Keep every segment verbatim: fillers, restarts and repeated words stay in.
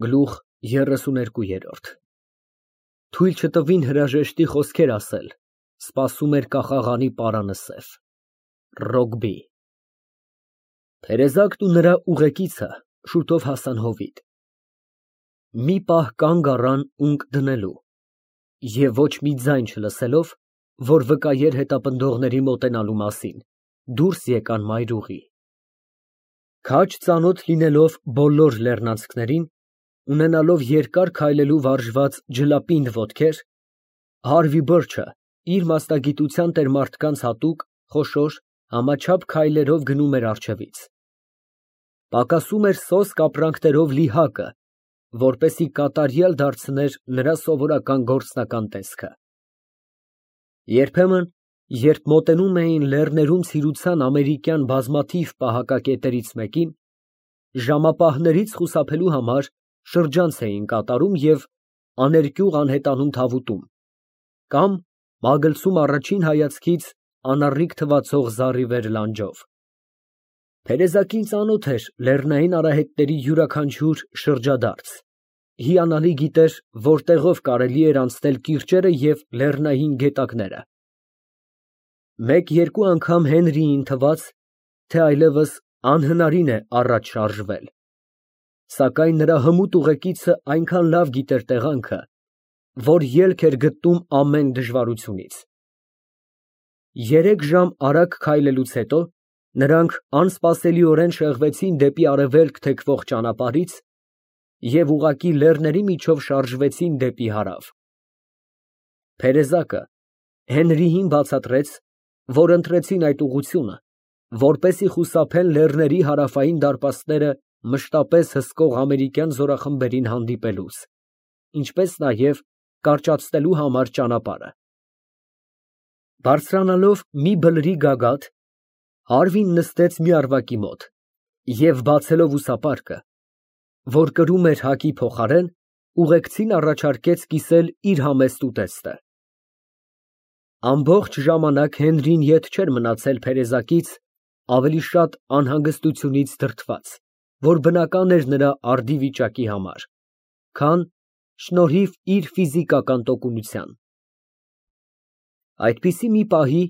Գլուխ երեսուներկու։ Թույլ չտվին հրաժեշտի խոսքեր ասել, սպասում էր կախաղանի պարանը սև ֊ Ռոգբի։ Տերեզակն ու նրա ուղեկիցը շուտով հասան հովիտ։ Մի պահ կանգ առան ունկ դնելու և ոչ մի ձայն չլսելով, որ վկայեր հետապնդողների մոտենալու մասին, դուրս եկան մայրուղի։ Քաջ ծանոթ լինելով բոլոր լեռնանցքներին, ունենալով երկար քայլելու վարժված ջլապինդ ոտքեր, Հարվի Բիրջը իր մասնագիտության տեր մարդկանց հատուկ, խոշոր, համաչափ քայլերով գնում էր առջևից։ Պակասում էր սոսկ ապրանքներով լի հակը, որպեսզի կատարյալ դարձներ նրա սովորական գործնական տեսքը։ Երբեմն, երբ մոտենում էին լեռներում ցիրության ամերիկյան բազմաթիվ պահակակետերից մեկին, ժամապահներից խուսափելու համար շրջանց էին կատարում և աներկյուղ անհետանում թավուտում, կամ մագլցում առաջին հայացքից անառիկ թվացող զառիվեր լանջով։ Տերեզակին ծանոթ էր լեռնային արահետների յուրաքանչյուր շրջադարձ, հիանալի գիտեր որտեղով կարելի էր անցնել կիրճերը և լեռնային գետակները։ Մեկ֊երկու անգամ Հենրիին թվաց, թե այլևս անհնարին է առաջ շարժվել, սակայն նրա հմուտ ուղեկիցը այնքան լավ գիտեր տեղանքը, որ ելք էր գտնում ամեն դժվարությունից։ Երեք ժամ արագ քայլելուց հետո նրանք անսպասելիորեն շեղվեցին դեպի արևելք թեքվող ճանապարհից և ուղղակի լեռների միջով շարժվեցին դեպի հարավ։ Տերեզակը Հենրիին բացատրեց, որ ընտրեցին այդ ուղղությունը, որպեսզի խուսափեն լեռների հարավային դարպասները մշտապես հսկող ամերիկյան զորախմբերին հանդիպելուց, ինչպես նաև կարճացնելու համար ճանապարհը։ Բարձրանալով մի բլրի գագաթ, Հարվին նստեց մի առվակի մոտ և, բացելով ուսապարկը, որ կրում էր հակի փոխարեն, ուղեկցին առաջարկեց կիսել իր համեստ ուտեստը։ Ամբողջ ժամանակ Հենրին ետ չէր մնացել տերեզակից, ավելի շատ անհանգստությունից դրդված, որ բնական էր նրա արդի վիճակի համար, քան շնորհիվ իր ֆիզիկական տոկունության։ Այդպիսի մի պահի,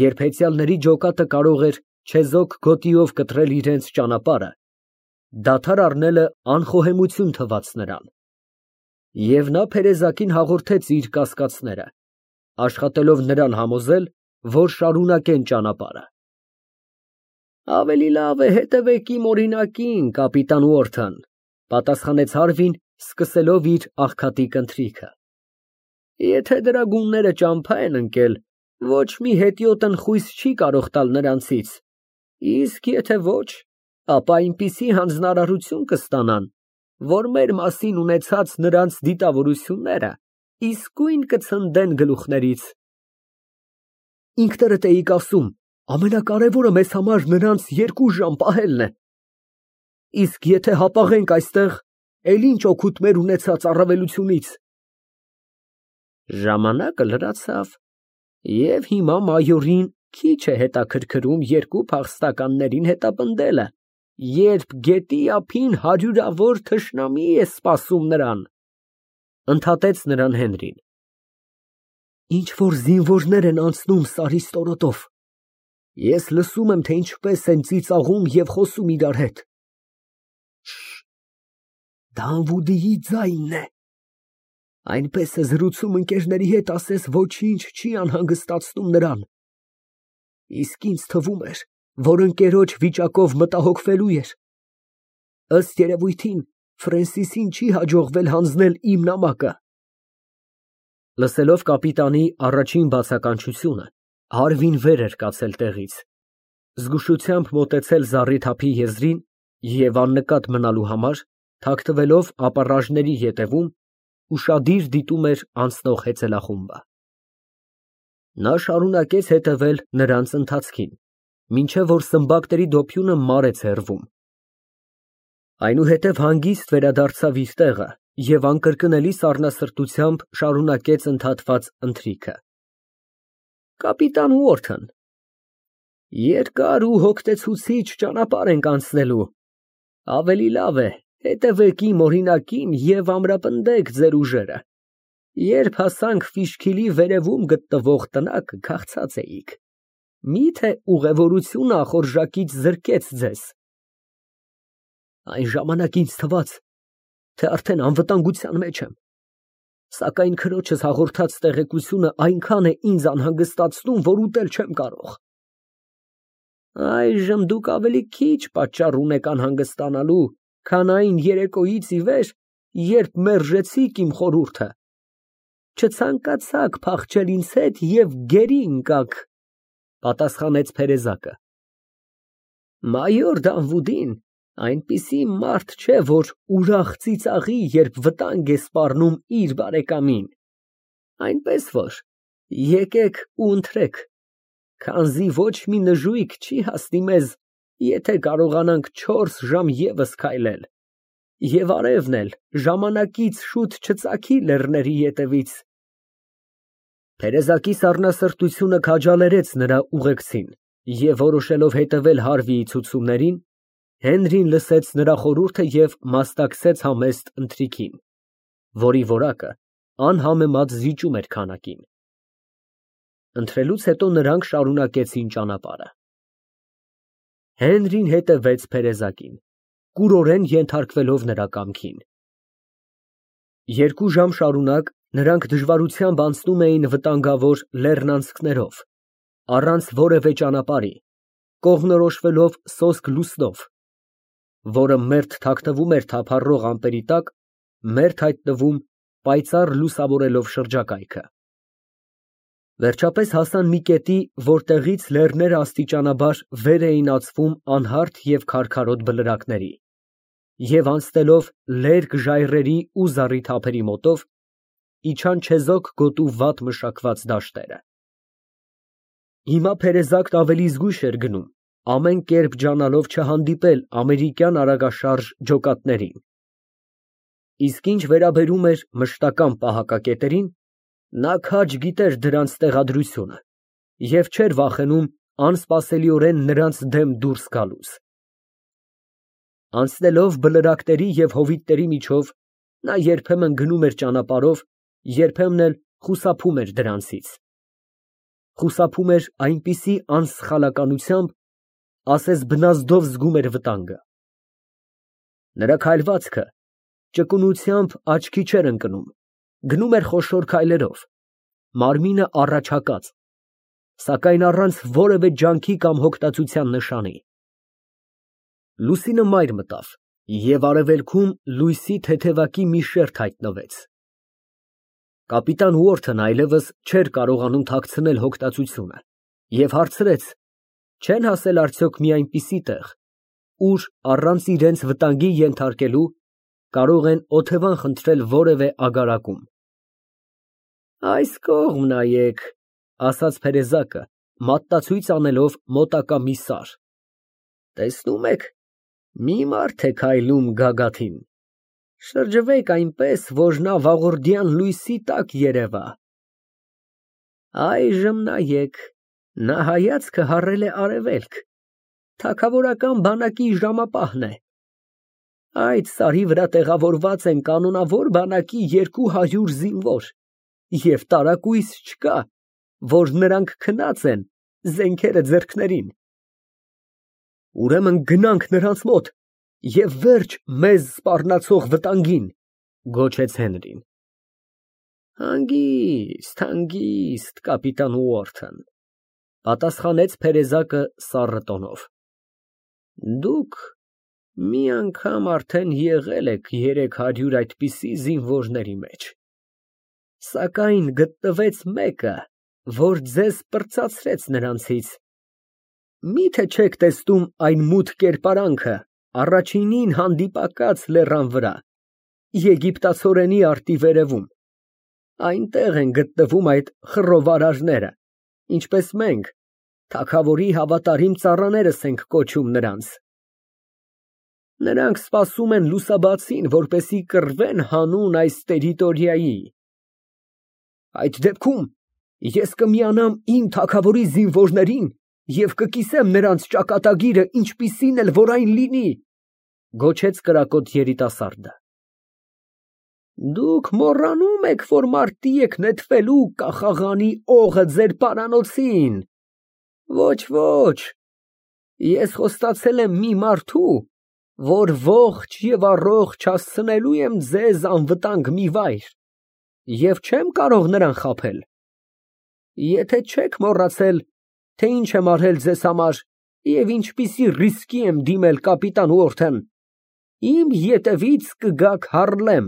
երբ հեծյալների ջոկատը կարող էր չեզոք գոտիով կտրել իրենց ճանապարհը, դադար առնելը անխոհեմություն թվաց նրան, և նա տերեզակին հաղորդեց իր կասկածները, աշխատելով նրան համոզել, որ շարունակեն ճանապարհը։ Ավելի լավ է հետևեք իմ օրինակին, կապիտան Ուորթն, պատասխանեց Հարվին, սկսելով իր աղքատիկ ընթրիքը։ Եթե դրա գունները ճամփա են ընկել, ոչ մի հետիոտ ընխույս չի կարող տալ նրանցից, իսկ եթե ոչ, ապա այնպիսի հանձնարարություն կստանան, որ մեր մասին ունեցած նրանց դիտավորությունները իսկույն կցնդեն գլուխներից։ Ինքներդ էիք ասում, ամենակարևորը մեզ համար նրանց երկու ժամ պահելն է։ Իսկ եթե հապաղենք այստեղ, էլ ինչ օգուտ մեր ունեցած առավելությունից։ Ժամանակը լրացավ, և հիմա մայորին քիչ է հետաքրքրում երկու փախստականներին հետապնդելը, երբ գետի ափին հարյուրավոր թշնամի է սպասում նրան, ընդհատեց նրան Հենրին։ Ինչ֊որ զինվորներ են անցնում սարի ստորոտով, ես լսում եմ, թե ինչպես են ծիծաղում և խոսում իրար հետ։ Դա Անվուդիի ձայնն է։ Այնպես է զրուցում ընկերների հետ, ասես ոչինչ չի անհանգստացնում նրան։ Իսկ ինձ թվում էր, որ ընկերոջ վիճակով մտահոգվելու էր։ Ըստ երևույթին, Ֆրենսիսին չի հաջողվել հանձնել իմ նամակը։ Լսելով կապիտանի առաջին բացականչությունը, Հարվին վեր էր կացել տեղից, զգուշությամբ մոտեցել զառիթափի եզրին և աննկատ մնալու համար, թաքթվելով ապառաժների ետևում, ուշադիր դիտում էր անցնող հեծելախումբը։ Նա շարունակեց հետևել նրանց ընթացքին, մինչև որ սմբակների դոփյունը մարեց հեռվում։ Այնուհետև հանգիստ վերադարձավ իր տեղը և անկրկնելի սառնասրտությամբ շարունակեց ընդհատված ընթրիքը։ Կապիտան Ուորթն, երկար ու հոգնեցուցիչ ճանապարհ ենք անցնելու, ավելի լավ է, Հետևեք իմ օրինակին և ամրապնդեք ձեր ուժերը։ Երբ հասանք Ֆիշքիլի վերևում գտնվող տնակը, քաղցած էիք, մի՞թե ուղևորությունը ախորժակից զրկեց ձեզ։ Այն ժամանակ ինձ թվաց, թե արդեն անվտանգության մեջ եմ, սակայն քրոջս հաղորդած տեղեկությունը այնքան է ինձ անհանգստացնում, որ ուտել չեմ կարող։ Այժմ դուք ավելի քիչ պատճառ ունեք անհանգստանալու, քան այն երեկոյից ի վեր, երբ մերժեցիք իմ խորհուրդը, չցանկացաք փախչել ինձ հետ և գերի ընկաք, պատասխանեց Փերեզակը։ Մայոր Դանվուդին այնպիսի մարդ չէ, որ ուրախ ծիծաղի, երբ վտանգ է սպառնում իր բարեկամին, այնպես որ եկեք ու ընթրեք, քանզի ոչ մի նժույգ չի հասնի մեզ, եթե կարողանանք չորս ժամ ևս քայլել, և արևն էլ ժամանակից շուտ չծագի լեռների ետևից։ Փերեզակի սառնասրտությունը քաջալերեց նրա ուղեկցին, և որոշելով հետևել Հարվիի ցուցումներին, Հենրին լսեց նրա խորհուրդը և մասնակցեց համեստ ընթրիքին, որի որակը անհամեմատ զիջում էր քանակին։ Ընթրելուց հետո նրանք շարունակեցին ճանապարհը։ Հենրին հետևեց Փերեզակին, կուրորեն ենթարկվելով նրա կամքին։ Երկու ժամ շարունակ նրանք դժվարությամբ անցնում էին վտանգավոր լեռնանցքներով, առանց որևէ ճանապարհի, կողմնորոշվելով սոսկ լուսնով, որը մերթ թաքնվում էր թափառող ամպերի տակ, մերթ հայտնվում պայծառ լուսավորելով շրջակայքը։ Վերջապես հասան մի կետի, որտեղից լեռները աստիճանաբար վեր էին ածվում անհարթ և քարքարոտ բլրակների, և անցնելով լերկ ժայռերի ու զառիթ ափերի մոտով, իջան չեզոք գոտու վատ մշակված դաշտերը։ Հիմա Փերեզակն ավելի զգույշ էր գնում, ամեն կերպ ջանալով չհանդիպել ամերիկյան արագաշարժ ջոկատներին, իսկ ինչ վերաբերում էր մշտական պահակակետերին, նա քաջ գիտեր դրանց տեղադրությունը և չէր վախենում անսպասելիորեն նրանց դեմ դուրս գալուց։ Անցնելով բլրակների և հովիտների միջով, նա երբեմն գնում էր ճանապարհով, երբեմն էլ խուսափում էր դրանցից, խուսափում էր այնպիսի անսխալականությամբ, ասես բնազդով զգում էր վտանգը։ Նրա քայլվածքը ճկունությամբ աչքի չէր ընկնում, գնում էր խոշոր քայլերով, մարմինը առաջհակած, սակայն առանց որևէ ջանքի կամ հոգտածության նշանի։ Լուսինը մայր մտավ, և արևելքում լույսի թեթևակի մի շերջ հայտնվեց։ Կապիտան Ուորթն այլևս չէր կարողանում թաքցնել հոգտածությունը և հարցրեց, չեն հասել արդյոք մի այնպիսի տեղ, ուր առանց իրենց վտանգի ենթարկելու կարող են օթևան խնդրել որևէ ագարակում։ Այս կողմ նայեք, ասաց Փերեզակը, մատնացույց անելով մոտակա մի սար, տեսնում եք, մի մարդ է քայլում գագաթին, շրջվեք այնպես, որ նա վաղորդյան լույսի տակ երևա։ Այժմ նայեք, նա հայացքը հառել է արևելք, թագավորական բանակի ժամապահն է։ Այդ սարի վրա տեղավորված են կանոնավոր բանակի երկու հարյուր զինվոր և տարակույս չկա, որ նրանք քնած են զենքերը ձեռքներին։ Ուրեմն գնանք նրանց մոտ և վերջ մեզ սպառնացող վտանգին, գոչեց Հենրին։ Հանգիստ, հանգիստ, կապիտան Ուորթն, պատասխանեց Փերեզակը սառն տոնով։ Դուք մի անգամ արդեն եղել եք երեք հարյուր այդպիսի զինվորների մեջ, սակայն գտնվեց մեկը, որ ձեզ պրծացրեց նրանցից։ Մի՞թե չեք տեսնում այն մութ կերպարանքը առաջինին հանդիպակաց լեռան վրա, եգիպտացորենի արտի վերևում, այնտեղ են գտնվում այդ խռովարարները, ինչպես մենք, թագավորի հավատարիմ ծառաներս ենք կոչում նրանց։ Նրանք սպասում են լուսաբացին, որպեսզի կռվեն հանուն այս տերիտորիայի։ Այդ դեպքում ես կմիանամ իմ թագավորի զինվորներին և կկիսեմ նրանց ճակատագիրը, ինչպիսին էլ որ այն լինի։ Գոչեց կրակոտ երիտասարդը։ Դուք մոռանում եք, որ մարտի եք նետվելու կախաղանի օղը ձեր պարանոցին։ Ոչ, ոչ, ես խոստացել եմ մի մարդու, որ ողջ և առողջ հասցնելու եմ ձեզ անվտանգ մի վայր, և չեմ կարող նրան խաբել։ Եթե չեք մոռացել, թե ինչ եմ արել ձեզ համար և ինչպիսի ռիսկի եմ դիմել կապիտան Ուորթեն, իմ ետևից կգաք Հարլեմ։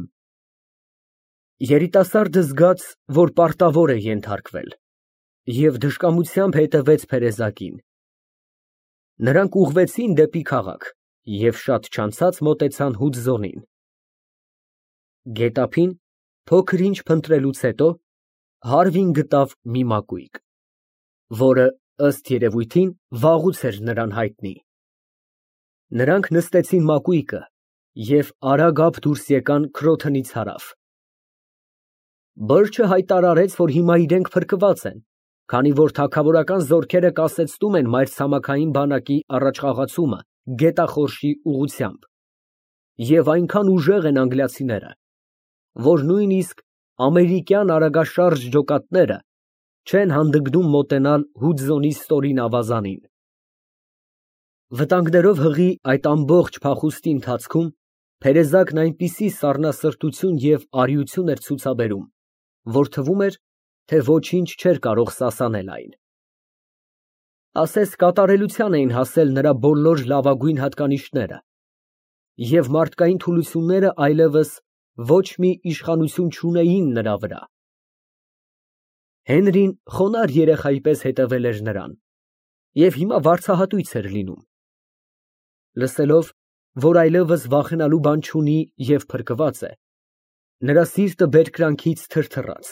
Երիտասարդը զգաց, որ պարտավոր է ենթարկվել, և դժկամությամբ հետևեց փերեզակին։ Նրանք ուղղվեցին դեպի քաղաք և շատ չանցած մոտեցան Հուդզոնին։ Գետափին փոքր-ինչ փնտրելուց հետո Հարվին գտավ մի մակույկ, որը, ըստ երևույթին, վաղուց էր նրան հայտնի։ Նրանք նստեցին մակույկը և արագ դուրս եկան Քրոթոնից հարավ։ Բըրչը հայտարարեց, որ հիմա իրենք փրկված են, քանի որ թագավորական զորքերը կասեցնում են մայրցամաքային բանակի առաջխաղացումը գետախորշի ուղղությամբ, և այնքան ուժեղ են անգլիացիները, որ նույնիսկ ամերիկյան արագաշարժ ջոկատները չեն հանդգնում մոտենալ Հուդզոնի ստորին ավազանին։ Վտանգներով հղի այդ ամբողջ փախուստի ընթացքում փերեզակն այնպիսի սառնասրտություն և արիություն էր ցուցաբերում, որ թվում էր, թե ոչինչ չէր կարող սասանել այն։ Ասես կատարելության էին հասել նրա բոլոր լավագույն հատկանիշները, և մարդկային թուլությունները այլևս ոչ մի իշխանություն չունեին նրա վրա։ Հենրին խոնարհ երեխայի պես հետևել էր նրան և հիմա վարձահատույց էր լինում։ Լսելով, որ այլևս վախենալու բան չունի և փրկված է, նրա սիրտը բերկրանքից թրթռաց։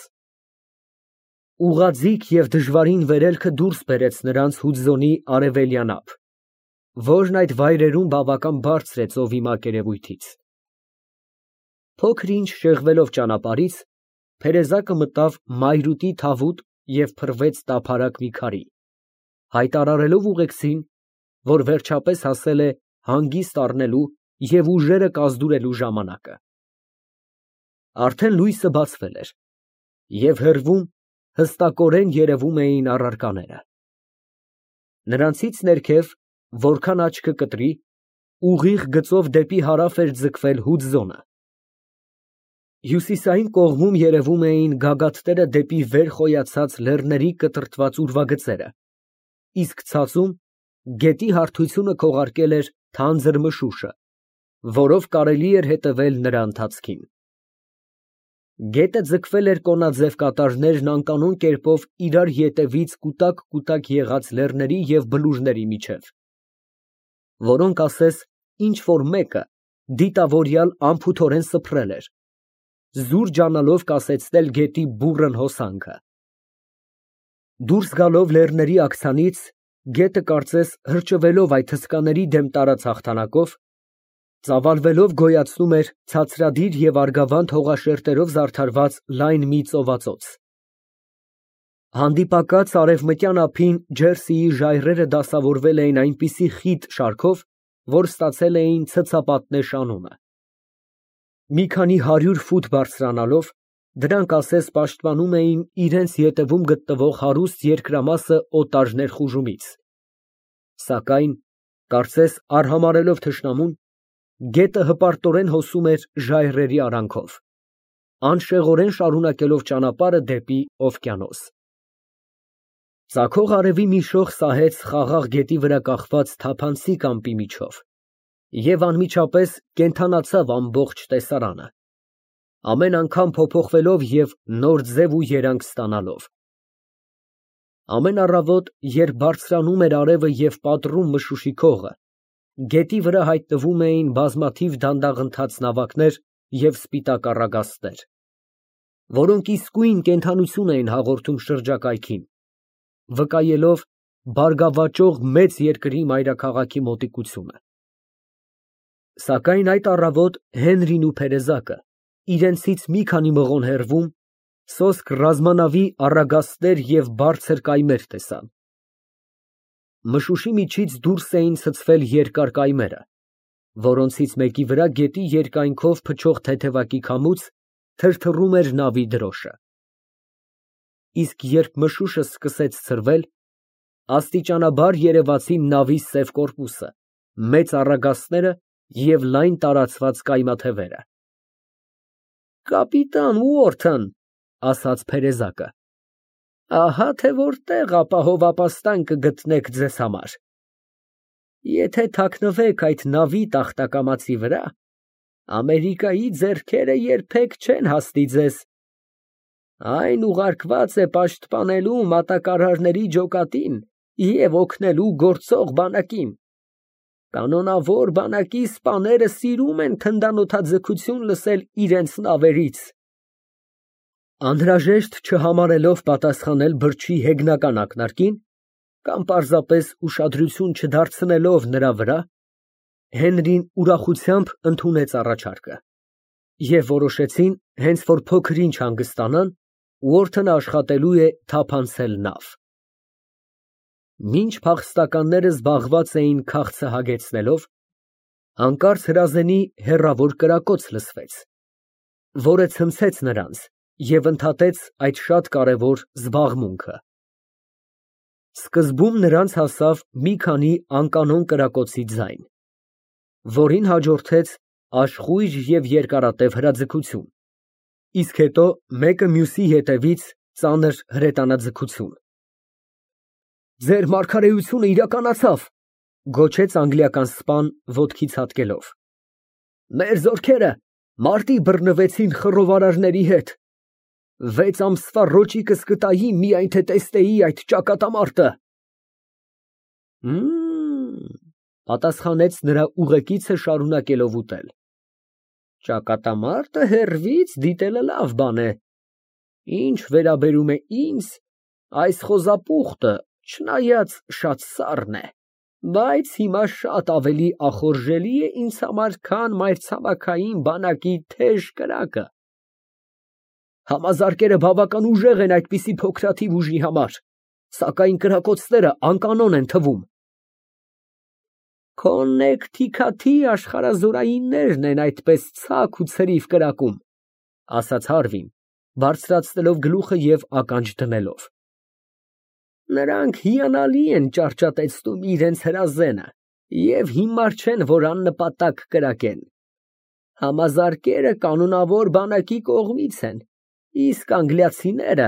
Ուղղաձիգ և դժվարին վերելքը դուրս բերեց նրանց Հուդզոնի արևելյան ափ, որն այդ վայրերում բավական բարձր է ծովի մակերևույթից։ Փոքր ինչ շեղվելով ճանապարհից, փերեզակը մտավ մայրուտի թավուտ և փռվեց տափարակ մի քարի, հայտարարելով ուղեկցին, որ վերջապես հասել է հանգիստ առնելու և ուժերը կազդուրելու ժամանակը։ Արդեն լույսը բացվել էր, և հեռվում հստակորեն երևում էին առարկաները։ Նրանցից ներքև, որքան աչքը կտրի, ուղիղ գծով դեպի հարավ էր ձգվել Հուդզոնը։ Հյուսիսային կողմում երևում էին գագաթները դեպի վեր խոյացած լեռների կտրտված ուրվագծերը, իսկ ցածում գետի հարթությունը քողարկել էր թանձր մշուշը, որով կարելի էր հետևել նրա ընթացքին։ Գետը ձգվել էր կոնաձև կատարներն անկանոն կերպով իրար ետևից կուտակ֊կուտակ եղած լեռների և բլուրների միջև, որոնք ասես ինչ֊որ մեկը դիտավորյալ անփութորեն սփռել էր, զուր ջանալով կասեցնել գետի բուռն հոսանքը։ Դուրս գալով լեռների աքցանից, գետը կարծես հրճվելով այդ հսկաների դեմ տարած հաղթանակով, ծավալվելով գոյացնում էր ցածրադիր և արգավանդ հողաշերտերով զարդարված լայն մի ծովածոց։ Հանդիպակաց արևմտյան ափին Ջերսիի ժայռերը դասավորվել էին այնպիսի խիտ շարքով, որ ստացել էին ցցապատնեշ անունը։ Մի քանի հարյուր ֆուտ բարձրանալով, դրանք ասես պաշտպանում էին իրենց ետևում գտնվող հարուստ երկրամասը օտար ներխուժումից, սակայն, կարծես արհամարհելով թշնամուն, գետը հպարտորեն հոսում էր ժայռերի արանքով, անշեղորեն շարունակելով ճանապարհը դեպի օվկիանոս։ Ծագող արևի մի շող սահեց խաղաղ գետի վրա կախված թափանցիկ ամպի միջով և անմիջապես կենդանացավ ամբողջ տեսարանը, ամեն անգամ փոփոխվելով և նոր ձև ու երանգ ստանալով։ Ամեն առավոտ, երբ բարձրանում էր արևը և պատռում մշուշի քողը, գետի վրա հայտնվում էին բազմաթիվ դանդաղընթաց նավակներ և սպիտակ առագաստներ, որոնք իսկույն կենդանություն էին հաղորդում շրջակայքին, վկայելով բարգավաճող մեծ երկրի մայրաքաղաքի մոտիկությունը։ Սակայն այդ առավոտ Հենրին ու փերեզակը, իրենցից մի քանի մղոն հեռվում, սոսկ ռազմանավի առագաստներ և բարձր կայմեր տեսան։ Մշուշի միջից դուրս էին ցցվել երկար կայմերը, որոնցից մեկի վրա գետի երկայնքով փչող թեթևակի քամուց թրթռում էր նավի դրոշը։ Իսկ երբ մշուշը սկսեց ցրվել, աստիճանաբար երևացին նավի սև կորպուսը, մեծ առագաստները և լայն տարածված կայմաթևերը։ Կապիտան Ուորթոն, ասաց փերեզակը, ահա թե որտեղ ապահով կգտնեք ձեզ համար։ Եթե թաքնվեք այդ նավի տախտակամածի վրա, Ամերիկայի ձեռքերը երբեք չեն հասնի ձեզ։ Այն ուղարկված է պաշտպանելու մատակարարների ջոկատին և օգնելու գործող բանակին։ Կանոնավոր բանակի սպաները սիրում են թնդանոթաձգություն լսել իրենց նավերից։ Անհրաժեշտ չհամարելով պատասխանել բրջի հեգնական ակնարկին, կամ պարզապես ուշադրություն չդարձնելով նրա վրա, Հենրին ուրախությամբ ընդունեց առաջարկը, և որոշեցին, հենց որ փոքր ինչ հանգստանան, Ուորթոնը աշխատելու է թափանցել նավ։ Մինչ փախստականները զբաղված էին քաղցը հագեցնելով, հանկարծ հրազենի հեռավոր կրակոց լսվեց, որը ցնցեց նրանց և ընդհատեց այդ շատ կարևոր զբաղմունքը։ Սկզբում նրանց հասավ մի քանի անկանոն կրակոցի ձայն, որին հաջորդեց աշխույժ և երկարատև հրաձգություն, իսկ հետո մեկը մյուսի հետևից ծանր հրետանաձգություն։ Ձեր մարգարեությունը իրականացավ, գոչեց անգլիական սպան ոտքի ցատկելով։ Մեր զորքերը մարտի բռնվեցին խռովարարների հետ։ Վեց ամսվա ռոճիկս կտայի, միայն թե տեսնեի այդ ճակատամարտը։ Մմ, պատասխանեց նրա ուղեկիցը շարունակելով ուտել։ Ճակատամարտը հեռվից դիտելը լավ բան է։ Ինչ վերաբերում է ինձ, այս խոզապուխտը, չնայած շատ սառն է, բայց հիմա շատ ավելի ախորժելի է ինձ համար, քան մայրցամաքային բանակի թեժ կրակը։ Համազարկերը բավական ուժեղ են այդպիսի փոքրաթիվ ուժի համար, սակայն կրակոցները անկանոն են թվում։ Քոննեկթիքաթի աշխարհազորայիններն են այդպես ցակ ու ցրիվ կրակում, ասաց Հարվին, բարձրացնելով գլուխը և ականջ դնելով։ Նրանք հիանալի են ճարճատեցնում իրենց հրազենը և հիմար չեն, որ աննպատակ կրակեն։ Համազարկերը կանոնավոր բանակի կողմից են, իսկ անգլիացիները,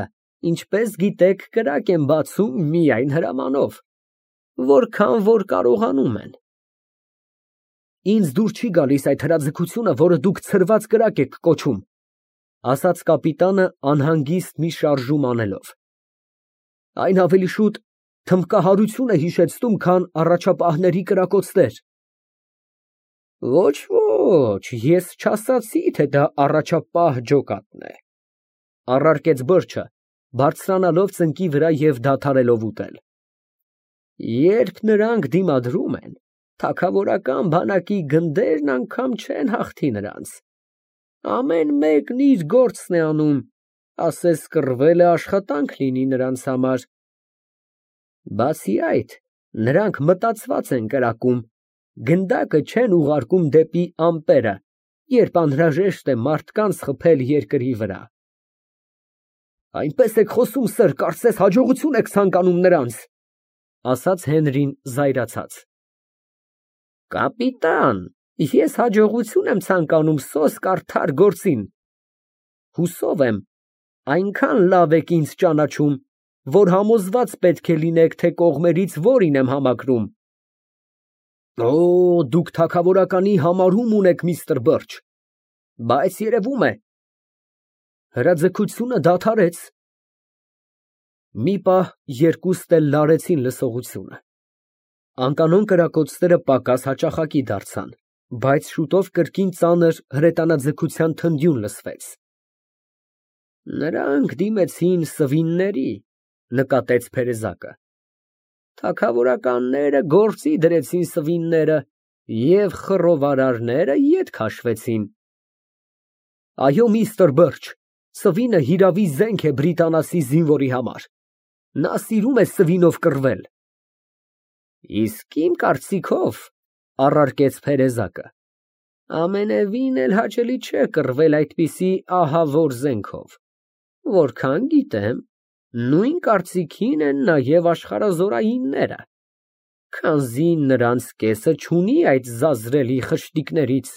ինչպես գիտեք, կրակ են բացում միայն հրամանով, որքան որ կարողանում են։ Ինձ դուր չի գալիս այդ հրաձգությունը, որը դուք ցրված կրակ եք կոչում, ասաց կապիտանը անհանգիստ մի շարժում անելով։ Այն ավելի շուտ թմբկահարություն է հիշեցնում, քան առաջապահների կրակոցներ։ Ոչ, ոչ, ես չասացի, թե դա առաջապահ ջոկատն է, առարկեց բրջը, բարձրանալով ծնկի վրա և դադարելով ուտել։ Երբ նրանք դիմադրում են, թագավորական բանակի գնդերն անգամ չեն հաղթի նրանց։ Ամեն մեկն իր գործն է անում, ասես կռվելը աշխատանք լինի նրանց համար։ Բացի այդ, նրանք մտածված են կրակում, գնդակը չեն ուղարկում դեպի ամպերը, երբ անհրաժեշտ է մարդկանց խփել երկրի վրա։ Այնպես եք խոսում, սըր, կարծես հաջողություն եք ցանկանում նրանց, ասաց Հենրին զայրացած։ Կապիտան, ես հաջողություն եմ ցանկանում սոսկ արդար գործին։ Հուսով եմ, այնքան լավ եք ինձ ճանաչում, որ համոզված պետք է լինեք, թե կողմերից որին եմ համակրում։ Օ, դուք թագավորականի համարում ունեք, միստր Բըրջ, բայց երևում է, հրաձգությունը դադարեց։ Մի պահ երկուստ էլ լարեցին լսողությունը։ Անկանոն կրակոցները պակաս հաճախակի դարձան, բայց շուտով կրկին ծանր հրետանաձգության թնդյուն լսվեց։ Նրանք դիմեցին սվինների, նկատեց փերեզակը։ Թագավորականները գործի դրեցին սվինները և խռովարարները ետ քաշվեցին։ Այո, միստր Բըրջ, սվինը հիրավի զենք է բրիտանացի զինվորի համար։ Նա սիրում է սվինով կռվել։ Իսկ իմ կարծիքով, Առարկեց փերեզակը։ Ամենևին էլ հաճելի չէ կռվել այդպիսի ահավոր զենքով։ Որքան գիտեմ, նույն կարծիքին են նաև աշխարհազորայինները, քանզի նրանց կեսը չունի այդ զազրելի խշտիկներից։